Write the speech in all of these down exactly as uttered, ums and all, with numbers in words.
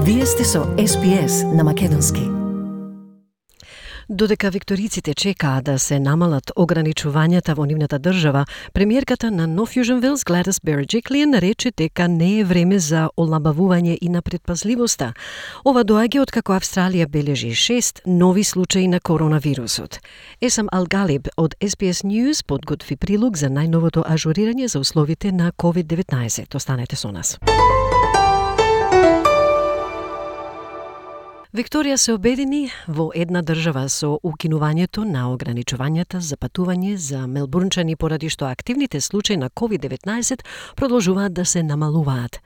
Вие сте со Ес Би Ес на македонски. Додека викториците чекаат да се намалат ограничувањата во нивната држава, премиерката на North Fusion Wales Gladys Berejiklian рече дека не е време за олабавување и на предпазливоста. Ова доаѓа откако Австралија бележи шест нови случаи на коронавирусот. Есам Ал-Галиб од Ес Би Ес News подготви прилог за најновото ажурирање за условите на ковид деветнаесет. Останете со нас. Викторија се обедини во една држава со укинувањето на ограничувањата за патување за мелбурнчани поради што активните случаи на ковид деветнаесет продолжуваат да се намалуваат.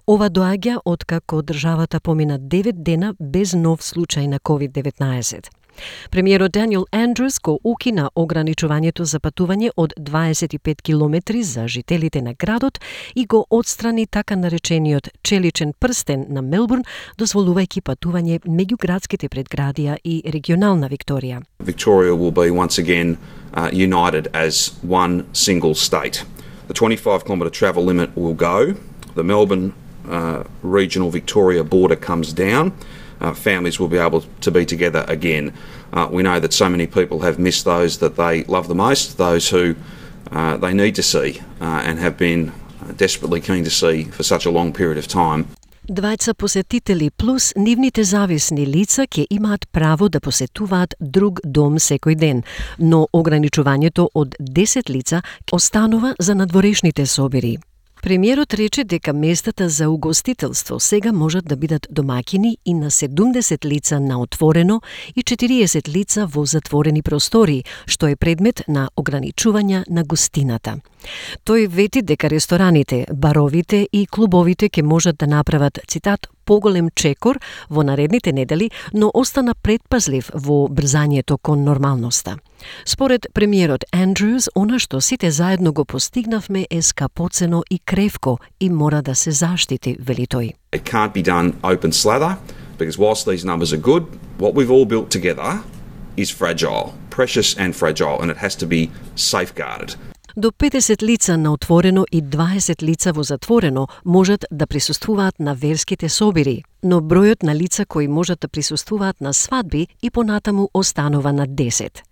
Ова доаѓа откако државата помина девет дена без нов случај на ковид деветнаесет. Премиерот Даниел Андрюс го укина ограничувањето за патување од дваесет и пет километри за жителите на градот и го отстрани така наречениот челичен прстен на Мелбурн, дозволувајќи патување меѓу градските предградија и регионална Викторија. Victoria will be once again uh, united as one single state. The twenty-five kilometre travel limit will go. The Melbourne uh, regional Victoria border comes down. Uh, families will be able to be together again. Uh, we know that so many people have missed those that they love the most, those who uh, they need to see uh, and have been desperately keen to see for such a long period of time. Двајца посетители плюс нивните зависни лица ќе имаат право да посетуваат друг дом секој ден, но ограничувањето од десет лица останува за надворешните собири. Премиерот рече дека местата за угостителство сега можат да бидат домаќини и на седумдесет лица на отворено и четириесет лица во затворени простори, што е предмет на ограничување на гостината. Тој вети дека рестораните, баровите и клубовите ќе можат да направат, цитат, поголем чекор во наредните недели, но остана предпазлив во брзањето кон нормалноста. Според премиерот Андрюс, она што сите заедно го постигнавме е скапоцено и кревко и мора да се заштити, вели тој. It can't be done open slather, because whilst these numbers are good, what we've all built together is fragile, precious and fragile, and it has to be safeguarded. До петдесет лица на отворено и дваесет лица во затворено можат да присуствуваат на верските собири, но бројот на лица кои можат да присуствуваат на свадби и понатаму останува на десет.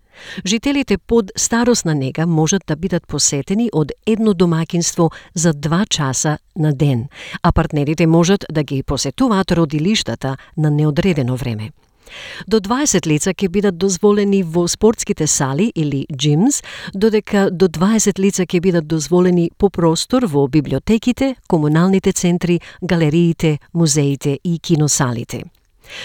Жителите под старосна нега можат да бидат посетени од едно домаќинство за два часа на ден, а партнерите можат да ги посетуваат родилиштата на неодредено време. До дваесет лица ќе бидат дозволени во спортските сали или gyms, додека до дваесет лица ќе бидат дозволени по простор во библиотеките, комуналните центри, галериите, музеите и киносалите.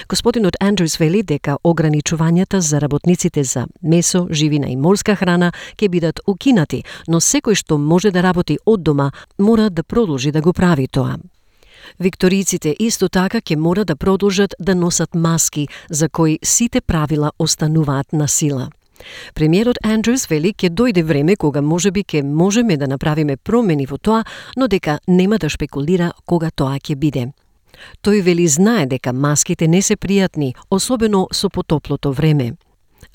Господинот Андрюс вели дека ограничувањата за работниците за месо, живина и морска храна ќе бидат укинати, но секој што може да работи од дома мора да продолжи да го прави тоа. Викториците исто така ќе мора да продолжат да носат маски, за кои сите правила остануваат на сила. Премиерот Андрюс вели ќе дојде време кога можеби ќе можеме да направиме промени во тоа, но дека нема да шпекулира кога тоа ќе биде. Тој вели знае дека маските не се пријатни, особено со потоплото време.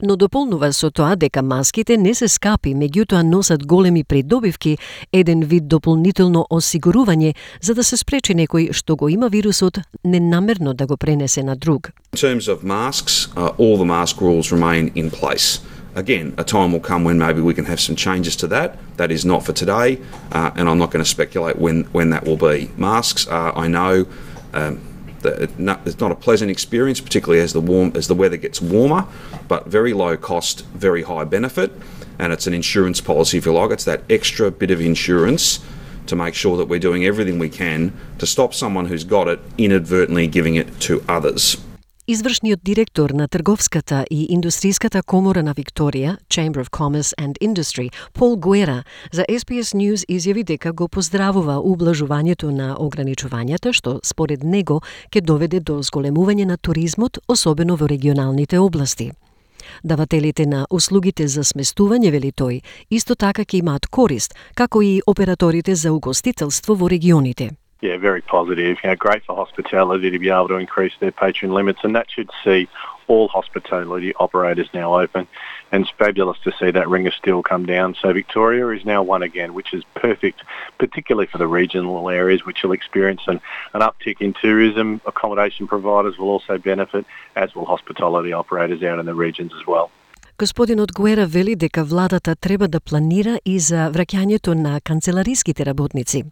Но дополнува со тоа дека маските не се скапи, меѓутоа носат големи придобивки, еден вид дополнително осигурување за да се спречи некој што го има вирусот ненамерно да го пренесе на друг. In terms of masks, uh, all the mask rules remain in place. Again, a time will come when maybe we can have some changes to that. That is not for today, uh, and I'm not going to speculate when, when that will be. Masks are, I know, um, it's not a pleasant experience, particularly as the warm as the weather gets warmer, but very low cost, very high benefit, and it's an insurance policy, if you like. It's that extra bit of insurance to make sure that we're doing everything we can to stop someone who's got it inadvertently giving it to others. Извршниот директор на Трговската и Индустриската комора на Викторија, Chamber of Commerce and Industry, Пол Гуера, за Ес Би Ес News изјави дека го поздравува ублажувањето на ограничувањата, што според него ќе доведе до зголемување на туризмот, особено во регионалните области. Давателите на услугите за сместување, вели тој, исто така ќе имаат корист, како и операторите за угостителство во регионите. Yeah, very positive. You know, great for hospitality to be able to increase their patron limits, and that should see all hospitality operators now open, and it's fabulous to see that ring of steel come down. So Victoria is now one again, which is perfect, particularly for the regional areas, which will experience an, an uptick in tourism. Accommodation providers will also benefit, as will hospitality operators out in the regions as well. Господинот Гуера вели дека владата треба да планира и за враќањето на канцелариските работници.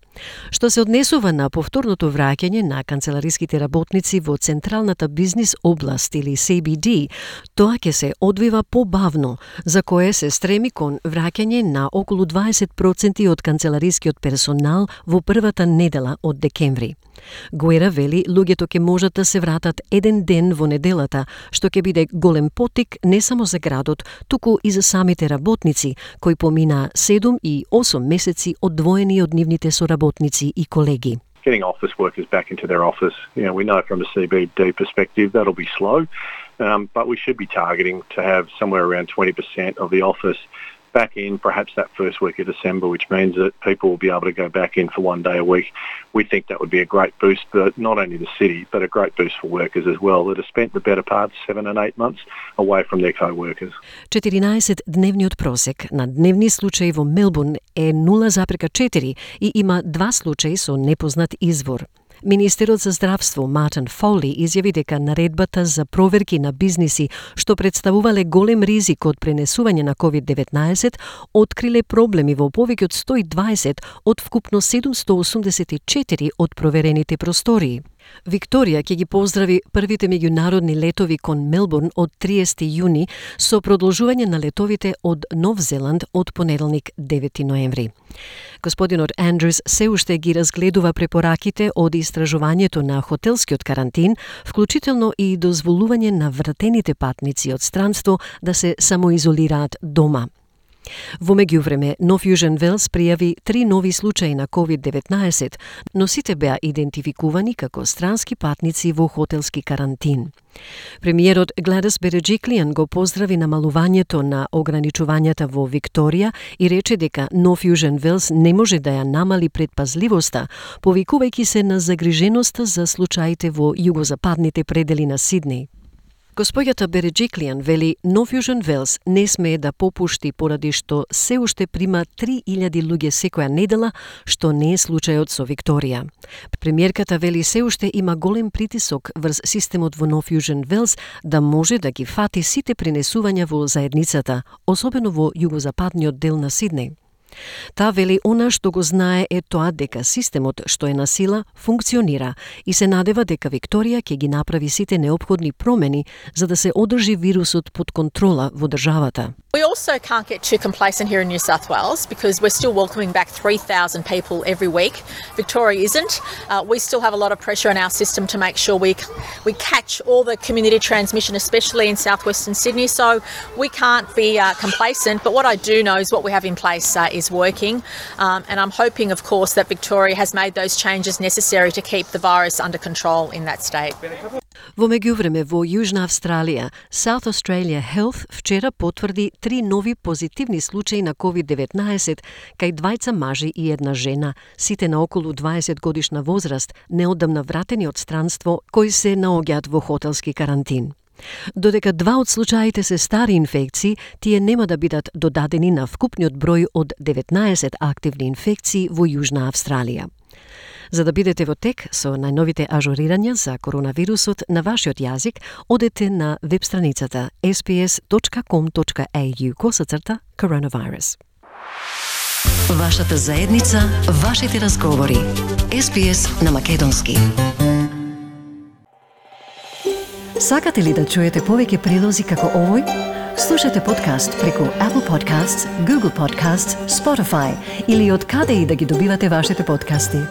Што се однесува на повторното враќање на канцелариските работници во централната бизнис област или Си Би Ди, тоа ќе се одвива побавно, за кое се стреми кон враќање на околу дваесет проценти од канцеларискиот персонал во првата недела од декември. Гуера вели луѓето ќе можат да се вратат еден ден во неделата, што ќе биде голем потик не само за градот, туку и за самите работници, кои помина седум и осум месеци одвоени од нивните соработници и колеги. Getting office workers back into their office, you know, we know from a C B D perspective that'll be slow, um, but we should be targeting to have somewhere around twenty percent of the office back in perhaps that first week of December, which means that people will be able to go back in for one day a week. We think that would be a great boost for not only the city, but a great boost for workers as well that have spent the better part seven and eight months away from their co-workers. четиринаесет-дневниот просек на дневни случаи во Мелбурн е нула запирка четири и има два случаи со непознат извор. Министерот за здравство Мартин Фоли изјави дека наредбата за проверки на бизниси што представувале голем ризик од пренесување на ковид деветнаесет откриле проблеми во повеќе од сто и дваесет од вкупно седумсто осумдесет и четири од проверените простории. Викторија ќе ги поздрави првите меѓународни летови кон Мелбурн од триесети јуни со продолжување на летовите од Нов Зеланд од понеделник девети ноември. Господинот Андрюс се уште ги разгледува препораките од истражувањето на хотелскиот карантин, вклучително и дозволување на вратените патници од странство да се самоизолираат дома. Во меѓувреме, Нов Јужен Велс пријави три нови случаи на ковид деветнаесет, но сите беа идентификувани како странски патници во хотелски карантин. Премиерот Гладис Береджиклијан го поздрави намалувањето на ограничувањата во Викторија и рече дека Нов Јужен Велс не може да ја намали предпазливоста, повикувајќи се на загриженоста за случаите во југозападните предели на Сиднеј. Господјата Береджиклијан вели Нов Јужен Велс не смее да попушти поради што се уште прима три илјади луѓе секоја недела, што не е случајот со Викторија. Премиерката вели се уште има голем притисок врз системот во Нов Јужен Велс да може да ги фати сите пренесувања во заедницата, особено во југозападниот дел на Сиднеј. Таа вели она што го знае е тоа дека системот што е на сила функционира и се надева дека Викторија ќе ги направи сите неопходни промени за да се одржи вирусот под контрола во државата. We also can't get too complacent here in New South Wales because we're still welcoming back three thousand people every week. Victoria isn't. Uh, we still have a lot of pressure on our system to make sure we we catch all the community transmission, especially in southwestern Sydney. So we can't be uh, complacent. But what I do know is what we have in place uh, is working. Um, and I'm hoping, of course, that Victoria has made those changes necessary to keep the virus under control in that state. Во меѓувреме, во Јужна Австралија, South Australia Health вчера потврди три нови позитивни случаи на ковид деветнаесет кај двајца мажи и една жена, сите на околу дваесет годишна возраст, неодамна вратени од странство, кои се наоѓаат во хотелски карантин. Додека два од случаите се стари инфекции, тие нема да бидат додадени на вкупниот број од деветнаесет активни инфекции во Јужна Австралија. За да бидете во тек со најновите ажурирања за коронавирусот на вашиот јазик, одете на веб страницата ес би ес точка ком точка ей ю косацрта коронавирус. Вашата заедница, вашите разговори. ес би ес на македонски. Сакате ли да чуете повеќе прилози како овој? Слушате подкаст преку Apple Podcasts, Google Podcasts, Spotify или од каде и да ги добивате вашите подкасти.